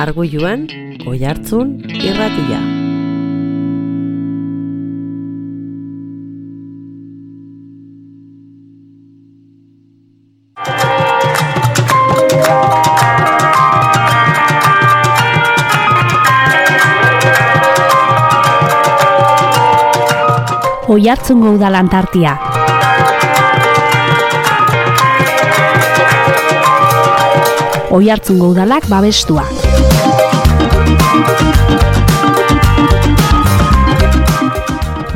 Arguiluan, Oihartzun irratia. Oihartzungo Udalan tartia. Oihartzungo Udalak babestua.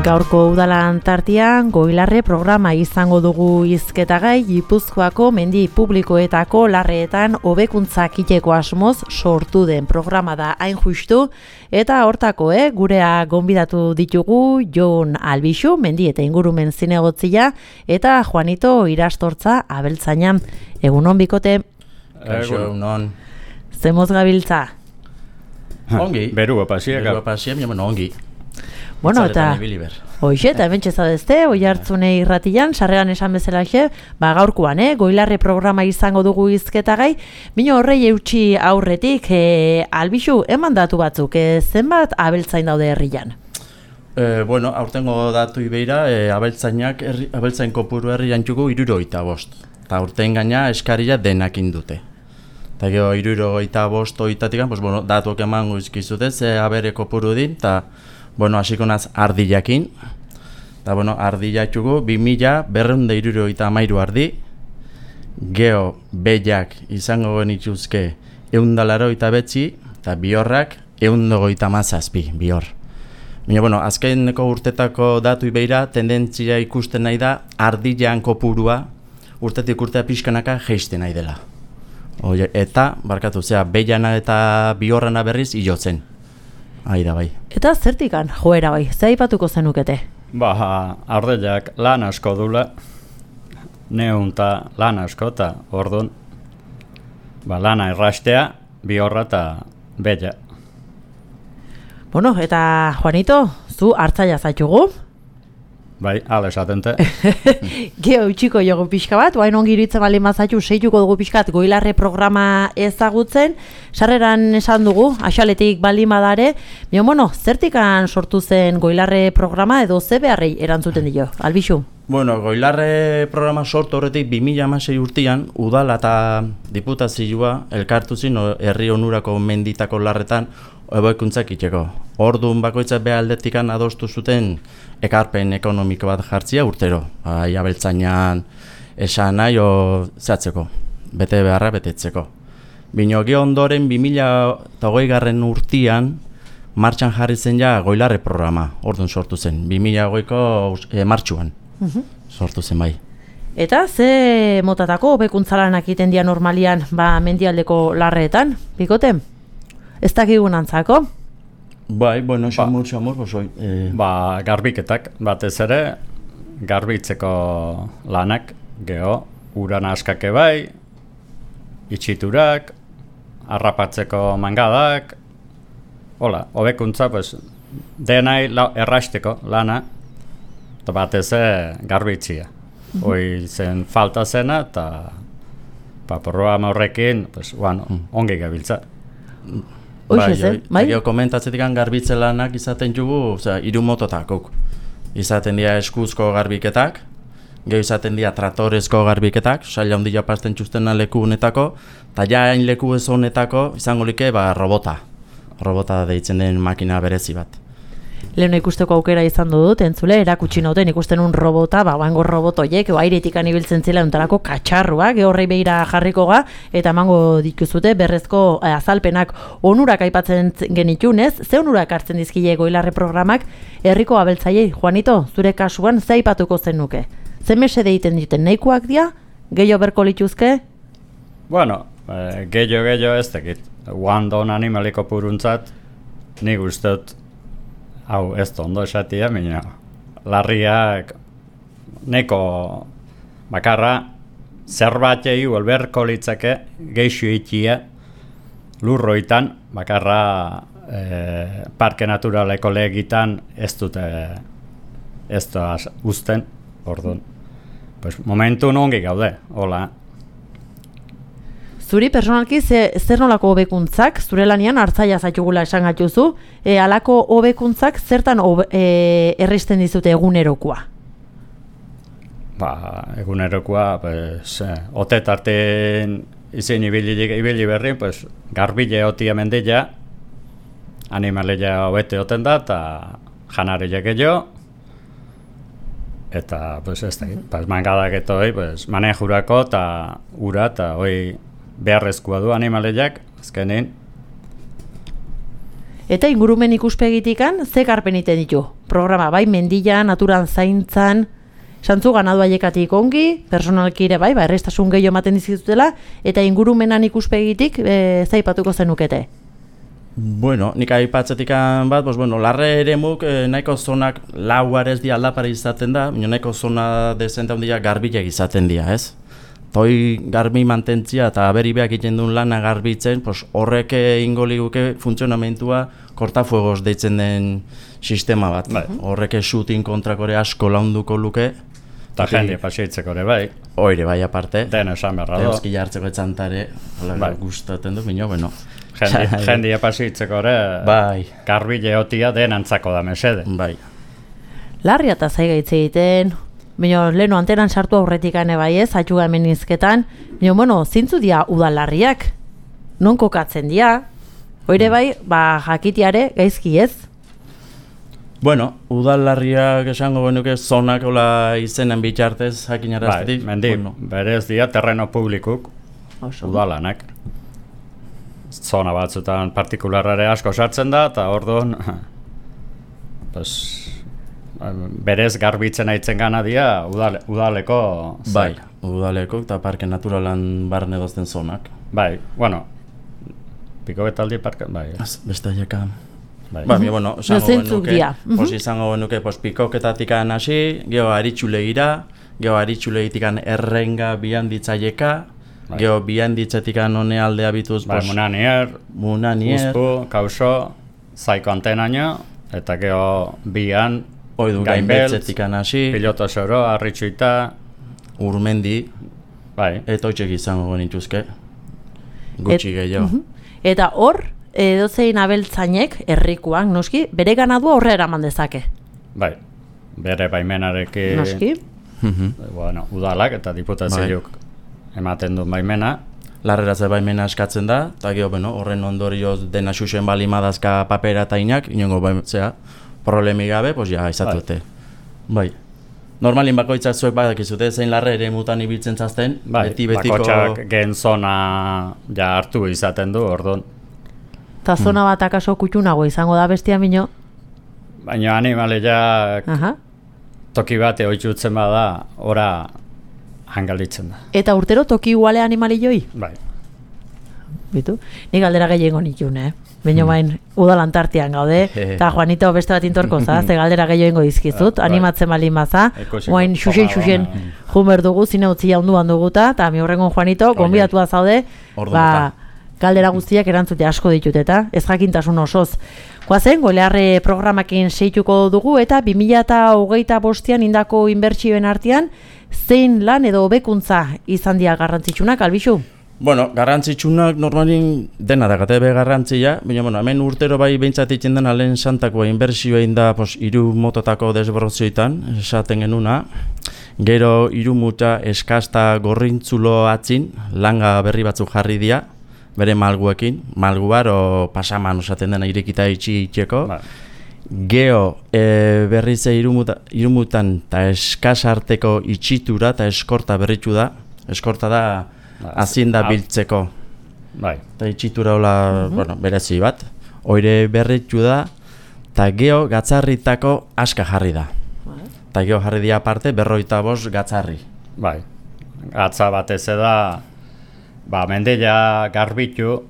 Gaurko Udalan tartian Goilarre programa izango dugu hizketagai Gipuzkoako mendi publikoetako larreetan hobekuntzak egiteko asmoz sortu den programa da hain justu, eta hortako gurea gonbidatu ditugu Jon Albixu, mendi eta ingurumen zinegotzia, eta Juanito Irastortza abeltzaina. Egunon bikote. Egunon. Zemoz gabiltza? Ongi. Berua pasia, ongi. Bueno, eta hoxe, eta hemen txezadezte, Oihartzune irratian, sarrean esan bezalaxe, gaurkoan, Goilarre programa izango dugu hizketagai, bino horrei eutxi aurretik, Albixu, eman datu batzuk, zenbat abeltzain daude herrian? Bueno, aurtengo datu ibeira, abeltzain kopuru herrian txugu 75. Eta aurten gaina eskaria denak indute. Eta gero 75 oitatik, bueno, datuak eman guzkizute, ze abere kopuru din, eta bueno, hasiko naz ardillakin. Eta bueno, ardillatxugu 2273 ardi. Geo behiak izango genituzke 189 eta bihorrak 157 bihor. Baina bueno, azkeneko urtetako datu ibeira tendentzia ikusten nahi da ardillan kopurua urtetik urtea pixkanaka jeisten nahi dela. Eta, barkatu, behiana eta bihorrana berriz ilotzen. Aida bai. Eta zertikan joera bai, ze aipatuko zenukete? Ardellak lan asko dula, neunta lan asko eta orduan, lana errastea, bihorra eta bella. Bueno, eta Juanito, zu hartzaia zaitugu? Bai, ala esatente. Geo utxiko jogu pixka bat, oain ongi iritzen bali mazatu, seituko dugu pixkat Goilarre programa ezagutzen, sarreran esan dugu, axaletik bali madare, bueno, zertikan sortu zen Goilarre programa edo ze beharrei erantzuten dio, Albixu? Bueno, Goilarre programa sortu horretik 2016 urtean, udala eta diputazioa elkartu zin herri onurako menditako larretan hobekuntzak itxeko. Orduan bakoitza behaldetikan adostu zuten ekarpen ekonomiko bat jartzia urtero. Abeltzainan esan nahi zehatzeko, bete beharra betetzeko. Bino gero ondoren 2020 urtean martxan jarri zen ja Goilarre programa, orduan sortu zen, 2020ko martxuan sortu zen bai. Eta ze motatako hobekuntza-lanak egiten dira normalian mendialdeko larreetan, bikote? Ez dakigun antzako? Bai, bueno, xamur, bosoi. Garbiketak, batez ere, garbitzeko lanak, geho, uran askake bai, itxiturak, harrapatzeko mangadak, hobekuntza, denai errasteko lana, eta batez garbitzia. Hoi zen falta zena, eta programa horrekin, ongi gabiltza. Bai, komentatzetik garbitze lanak izaten jugu, 3 mototakok. Izaten dira eskuzko garbiketak, geho izaten dira tratorezko garbiketak, saila handia pasten txustena leku honetako, eta jain leku ez honetako izango like robota. Robota deitzen den makina berezi bat. Leheno ikusteko aukera izan dut, entzule, erakutsi nauten ikusten un robota, bango robotoiek, aireetikan ibiltzen zela untarako katxarruak, horrei behira jarriko ga, eta emango dituzute berrezko azalpenak onurak aipatzen genitxunez, ze onurak hartzen dizkile Goilarre programak, herriko abeltzaiei, Juanito, zure kasuan, ze aipatuko zenuke? Ze mesede egiten duten nahikoak dira, gehiago berko lituzke? Bueno, gehiago ez tekit, guandon animaliko puruntzat, nik usteot, hau, ez ondo esatia, baina larriak neko bakarra zerbatei uelberko litzake geixu itia lurroitan, bakarra parke naturaleko legitan ez dute ez da uzten, orduan. Pues momentu ongi gaude, hola. Zuri personalki zer nolako hobekuntzak, zure lanian hartzaia zaitugula esan gatuzu, halako hobekuntzak zertan erristen dizute egunerokoa? Egunerokoa, ote tarten izin ibili berri, garbile otia mendila, animaleia hobete oten da, eta janareia gehiago, eta, ez da, mangadak eta hoi, manejurako eta ura, eta hoi beharrezkoa du animaleiak, azkenin. Eta ingurumen ikuspegitikan, ze garpen iten ditu? Programa, bai, mendila, naturan zaintzan, santzu ganadu aiekatik ongi, personalki ere bai, errestasun gehiago ematen dizkizutela, eta ingurumenan ikuspegititik zaipatuko zenukete? Bueno, nik aipatzetikan bat, larre eremuk nahiko zonak lauarez di aldapare izaten da, nahiko zona dezenta handia garbilek izaten dira, ez? Toi garbi mantentzia eta aberibeak egiten duen lana garbitzen, horrek ingo liguke funtzionamentua kortafuegos deitzen den sistema bat. Horrek shooting kontrakore asko launduko luke. Eta jende paseitzeko ere bai. Oire bai aparte. Den esan berra do. Euski jartzeko etxantare, gustaten du, bueno. Jende paseitzeko ere, garbile otia den antzako da mesede. Bai. Larria eta zaigaitze egiten, leheno antenan sartu aurretik bai ez, atxuga hemen izketan, zintzu dia udalarriak, non kokatzen dia, oire bai, jakitiare gaizki ez? Bueno, udalarriak esango genuke zonak izenen bitxartez jakinaraztetik. Mendi, berez dia terreno publikuk, udalanak. Zona batzutan partikularare asko sartzen da, eta orduan, berez garbitzen aitzen gana dia udaleko bai, udaleko eta parke naturalan barne dozten zonak. Bai, pikoketaldi parke, bai. Beste aieka. Bai, izango genuke, pikoketatik hasi, geho aritxulegira, geho aritxulegitikan errenga bian ditzaieka, geho bian ditzetikan hone aldea bituz, Munanier, Uzpu, Kauso, Zaiko Antenaino, eta geho bian Gainbeltz, Piloto Soro, Arritxuita, Urmendi, eta hoitxek izango genituzke, gutxi gehiago. Eta hor, edozein abeltzainek, herrikuak, noski, bere ganadua horre eraman dezake? Bai, bere baimenarekin, noski? Udalak eta diputazioak ematen du baimena. Larreratze baimena eskatzen da, eta horren ondorioz dena xuxen bali madazka papera eta inak, inongo problemi gabe, izatute. Bai. Normalin bakoitzak zuek badakizute, zein larre ere mutan ibiltzen zazten, beti-betiko... Bakoitzak gen zona hartu izaten du, orduan. Eta zona bat akaso kutxunago izango da bestia mino? Baina animaleak toki bate oitzutzen bada, ora hangalitzen da. Eta urtero toki iguale animalioi? Bai. Bitu? Nik galdera gehiago nikun, Baina bain, udalantartian gaude, eta Juanito beste bat intorko za, ze galdera gehiago izkizut, animatzen bali maza, guain xuxen jumer dugu, zine utzia onduan duguta, eta mi horrengon Juanito, gonbidatua zaude, galdera guztiak erantzute asko ditut eta ez jakintasun osoz. Goazen, golearre programakin seituko dugu eta 2025an indako inbertsioen artean, zein lan edo hobekuntza izan dira garrantzitsunak, Albixu? Bueno, garrantzitsunak normalin dena dakate be garrantzia, baina hemen urtero bai behintzat itzen dena lehen santakoa inbertsioa inda 3 mototako desbrozioetan, esaten genuna. Gero 3 muta eskasta gorrintzulo atzin, langa berri batzuk jarri dira, bere malguekin, malguar o pasaman osaten dena irekita itxeko. Geo berriz 3 mutan eta eskasarteko itxitura eta eskorta berritu da. Eskorta da azin da biltzeko. Eta itxitura hola, berezi bat. Oire berritu da, eta geo gatzarritako aska jarri da. Eta geo jarri dia aparte 55 gatzarri. Bai, gatza batez da, mendela garbitu,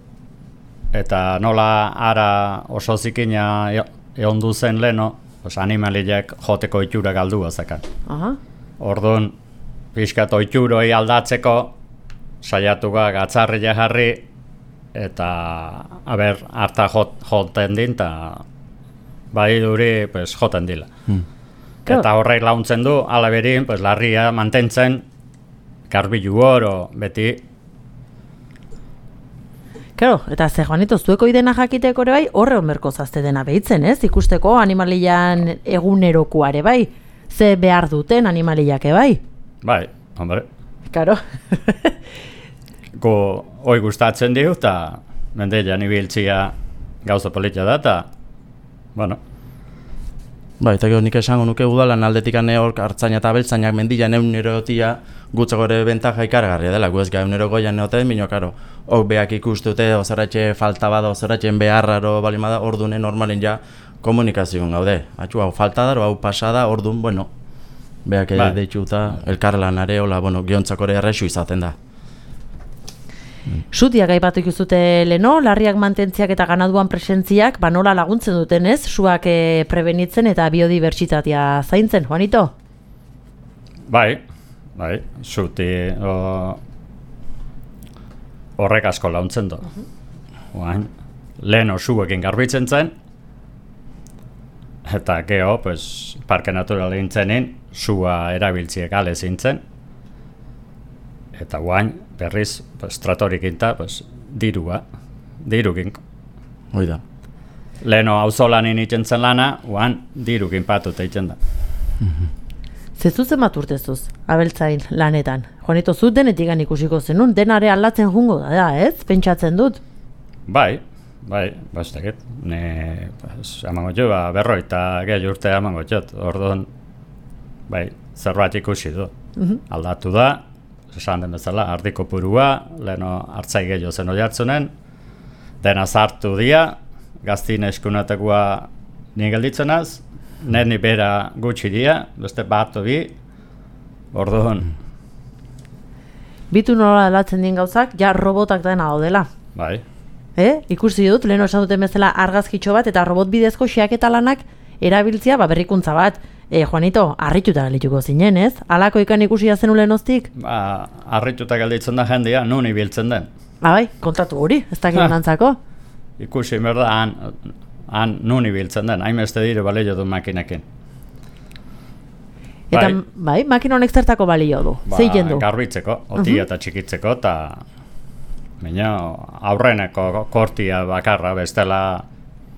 eta nola ara oso zikina eondu zen leno, animaliak joteko itxura galdu bazakan. Orduan, pixkat oitxuroi aldatzeko, saiatu gatzarria jarri, eta harta joten din, eta bai duri joten dila. Eta horrek launtzen du, alaberin, larria mantentzen, garbilu oro, beti, Claro, eta ze Juanito, zueko idena jakiteko ere bai, horre onberko zazte dena behitzen, ez? Ikusteko animalian egunerokoare bai, ze behar duten animaliake bai. Bai, hombre. Claro. Hoi gustatzen diu, eta mendeian ibiltzia gauza politia da, eta, bueno. Bai, eta nik esango nuke udalan aldetik hor hartzaina eta abeltzainak mendian egunerotia gutzako ere bentaja ikaragarria dela, gu ez ga egunerokoian neoten, bino, karo, hok beak ikustute, ozaratxe falta bada, ozaratxen beharraro balimada, ordunen normalen ja komunikazioan gaude. Atxu, hau falta da, hau pasada, ordun, bueno, beak deitxuta, elkarlanare, hola, bueno, giontzako ere errexu izaten da. Sutiak aipatu ikuzute leno, larriak mantentziak eta ganaduan presentziak, nola laguntzen duten ez, suak prebenitzen eta biodibertsitatea zaintzen, Juanito? Bai, suti horrek asko launtzen du. Leno suekin garbitzen zen, eta geho, parke natural intzenin, sua erabiltziek ale zintzen, eta guain, berriz, tratorikin eta dirukin. Hoi da. Leno auzolanin itzen lana, guain, dirukin patut eitzen da. Zezuzen bat urtezuz, abeltzain lanetan. Juanito, zut denetikan ikusiko zenun, denare aldatzen jungo da, ez? Pentsatzen dut? Bai, bastakit. Amango jo, berroita gehi urte amango jot. Orduan, bai, zerbait ikusi du. Aldatu da, esan den bezala, ardiko purua, leheno hartzai gehiago zen hori hartzunen, dena zartu dia, gaztin eskunatekoa ni gelditzenaz, neni bera gutxi dia, beste bat bi, orduan. Bitu nola aldatzen dien gauzak, ja robotak dena daudela. Bai. Ikusi dut, leheno esan duten bezala argazkitxo bat, eta robot bidezko xeaketa lanak erabiltzia berrikuntza bat. Juanito, harrituta galituko zinen, ez? Halako ikan ikusia zen ulenoztik? Harrituta galditzen da jendia, nun ibiltzen den. Bai, kontatu hori, ez dakit nantzako? Ikusi berda, han nun ibiltzen den, hainbeste dire balio du makinekin. Eta, bai, makina honek zertako balio du? Zeiten du? Garbitzeko, otia eta txikitzeko, eta aurreneko kortia bakarra, bestela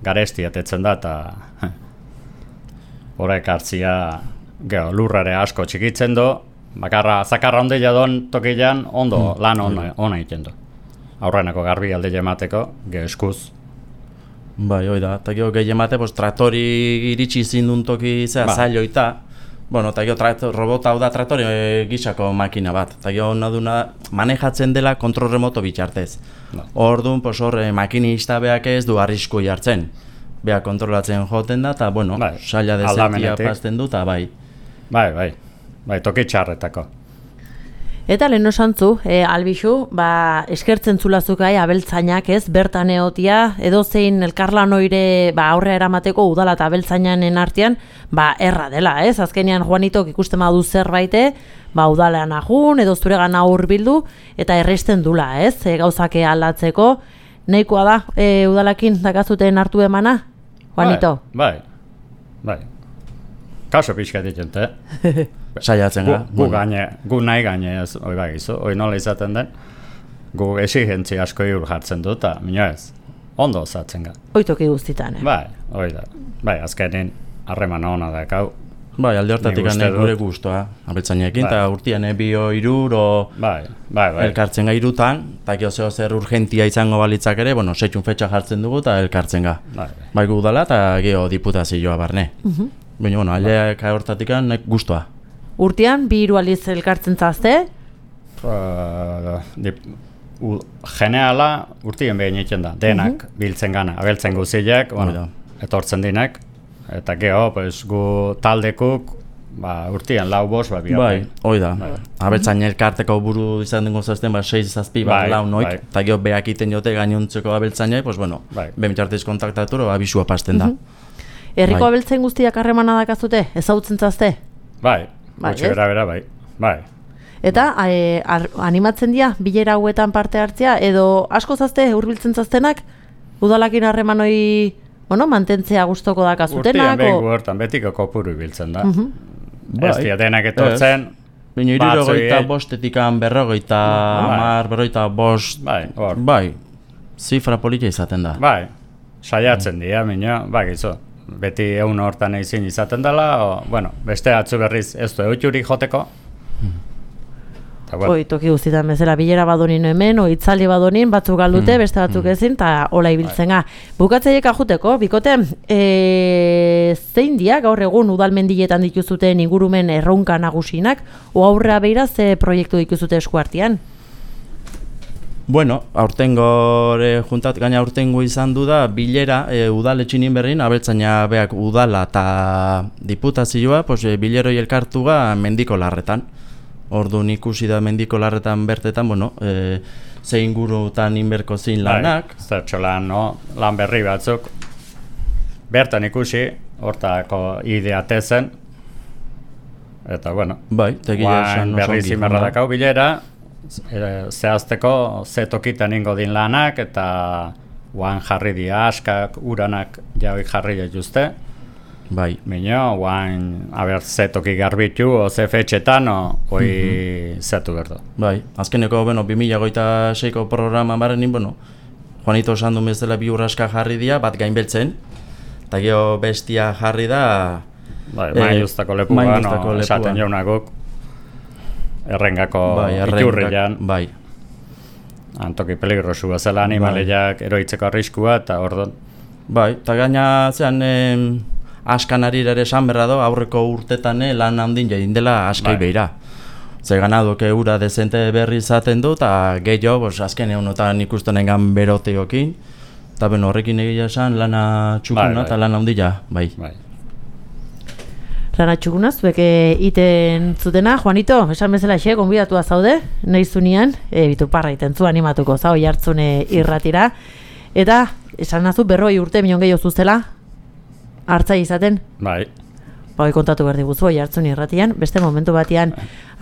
garestia tetzen da, eta horrek hartzia lurrare asko txikitzen du, bakarra zakarra ondila don tokilean ondo lan ona egiten du. Aurreneko garbi alde emateko, eskuz. Bai, hoi da, eta gehi emate, traktori iritsi zindun toki zailoita, bueno, eta robot hau da traktori gisako makina bat, eta naduna manejatzen dela kontrol remoto bitxartez. Orduan, makinista beak ez du arrisku jartzen. Beha kontrolatzen joten da, eta, bueno, saila dezentia pazten du, eta bai. Bai, toki txarretako. Eta lehen osantzu, Albixu, eskertzen zulazuk abeltzainak ez, bertan eotia, edozein elkarlan oire aurrea eramateko udala eta abeltzainanen artean, erra dela, ez? Azkenean Juanitok ikusten badu zerbaite, udalean ajun, edo zuregan hurbildu, eta erresten dula, ez? Gauzake aldatzeko, nahikoa da, udalakin dakazuten hartu emana, Juanito? Bai. Kaso pixka ditente. Saiatzen ga. Gu nahi gaine ez, hoi nola izaten den, gu exigentzia asko iur jartzen dut, eta minio ez, ondo osatzen ga. Oitoki guztitan, Bai, hoi da. Bai, azkenin harreman hona da, kau. Bai, alde hortatik gure guztua, abeltzainekin, eta urtean bio iruro elkartzen ga irutan, eta geho zer urgentia izango balitzak ere, setxun fetxa jartzen dugu eta elkartzen ga. Bai gu dala eta geho diputazioa barne. Baina, aldeak hortatik guztua. Urtean, bi hiru aldiz elkartzen zazte? Geneala urtien behin egiten da, denak biltzen gana, abeltzen guzileak, etortzen dinak, eta geho, gu taldekuk, urtean lau bost, Bai, hoi da. Abeltzain elkarteko buru izan dengo zazten, 6-7 lau noik, eta geho behak iten jote gainontzeko abeltzainai, bemitxartez kontaktatu, abisua pasten da. Herriko abeltzain guztiak harremana dakazute, ezautzen zazte? Bai, gutxi bera, bai. Eta animatzen dira bilera hauetan parte hartzea, edo asko zazte, hurbiltzen zaztenak, udalakin harreman hori mantentzea gustoko dakazutenak? Urtean behin guertan, betiko kopuru biltzen da. Ez dira denak etortzen. Baina irurogeita bostetikan berrogeita mar, berrogeita bost, bai, zifra polita izaten da. Bai, saiatzen dira, minio, gizu. Beti egun hortan ezin izaten dela, bueno, beste atzu berriz ez du eutxurik joteko. Bueno. Toki guztietan bezala, bilera badonin hemen, itzaldi badonin, batzuk galdute, beste batzuk ezin, eta hola ibiltzen ga. Bukatzaiek ajuteko, bikote, zein dia gaur egun udalmendietan dituzuten ingurumen erronka nagusinak, o aurrea beira ze proiektu dituzute eskuartean? Bueno, gaina aurtengo izan du da, bilera udaletxinin berrin, abeltzaina beak udala eta diputazioa, bileroi elkartuga mendiko larretan. Orduan ikusi da mendiko larretan bertetan, ze ingurutan inberko zin lanak. Zertxo lan berri batzuk. Bertan ikusi, hortako ideate zen. Eta, guain berri zimerra dakau bilera, zehazteko ze tokitan ingo din lanak, eta guain jarri dia askak, uranak jauik jarri dituzte. Bai. Mino, guain, ze toki garbitu, ze fetxetan, hoi zetu berdo. Bai, azkeneko, 2026ko programa barenin, Juanito esan du bezala bi urraska jarri dira, bat gainbeltzen, eta geho bestia jarri da... Bai, mailuztako lepua, esaten jaunagok, errengako iturrian. Bai. Antoki peligrosu bezala animaleiak eroitzeko arriskua, eta ordon. Bai, eta gaina zean... askan arira ere esan berra do, aurreko urtetan lan handin jain dela askai beira. Ze ganadoke ura dezente berri izaten du, eta gehiago, azken egunotan ikusten engan beroteokin, eta horrekin egia esan lana txukuna eta lan handia, bai. Lana txukuna, zuek iten zutena, Juanito, esan bezala gonbidatua zaude, nahi zunean, bituparra iten zu animatuko zau jartzune irratira, eta esan nazu 40 urte minon gehiago zuzela, hartzai izaten? Bai. Kontatu behar diguzu, jartzun irratian, beste momentu batean.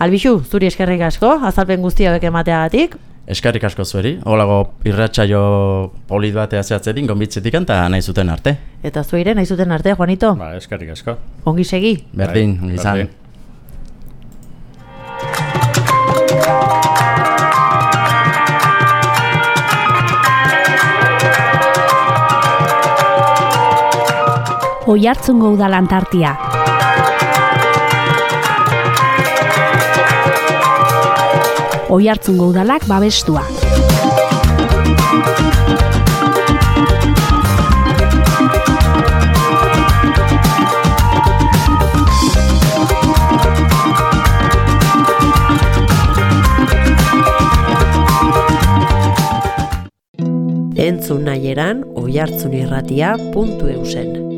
Albixu, zuri eskerrik asko, azalpen guztia beke emateagatik. Eskerrik asko zueri, holago irratsaio polit batea zehatzetik, gonbitzetik eta nahi zuten arte. Eta zuire, nahi zuten arte, Juanito? Ba, eskerrik asko. Ongi segi? Berdin, izan. Oiartzungo Udal Antartia. Oiartzungo Udalak babestua. Entzun nahieran oiartzunirratia.eusen.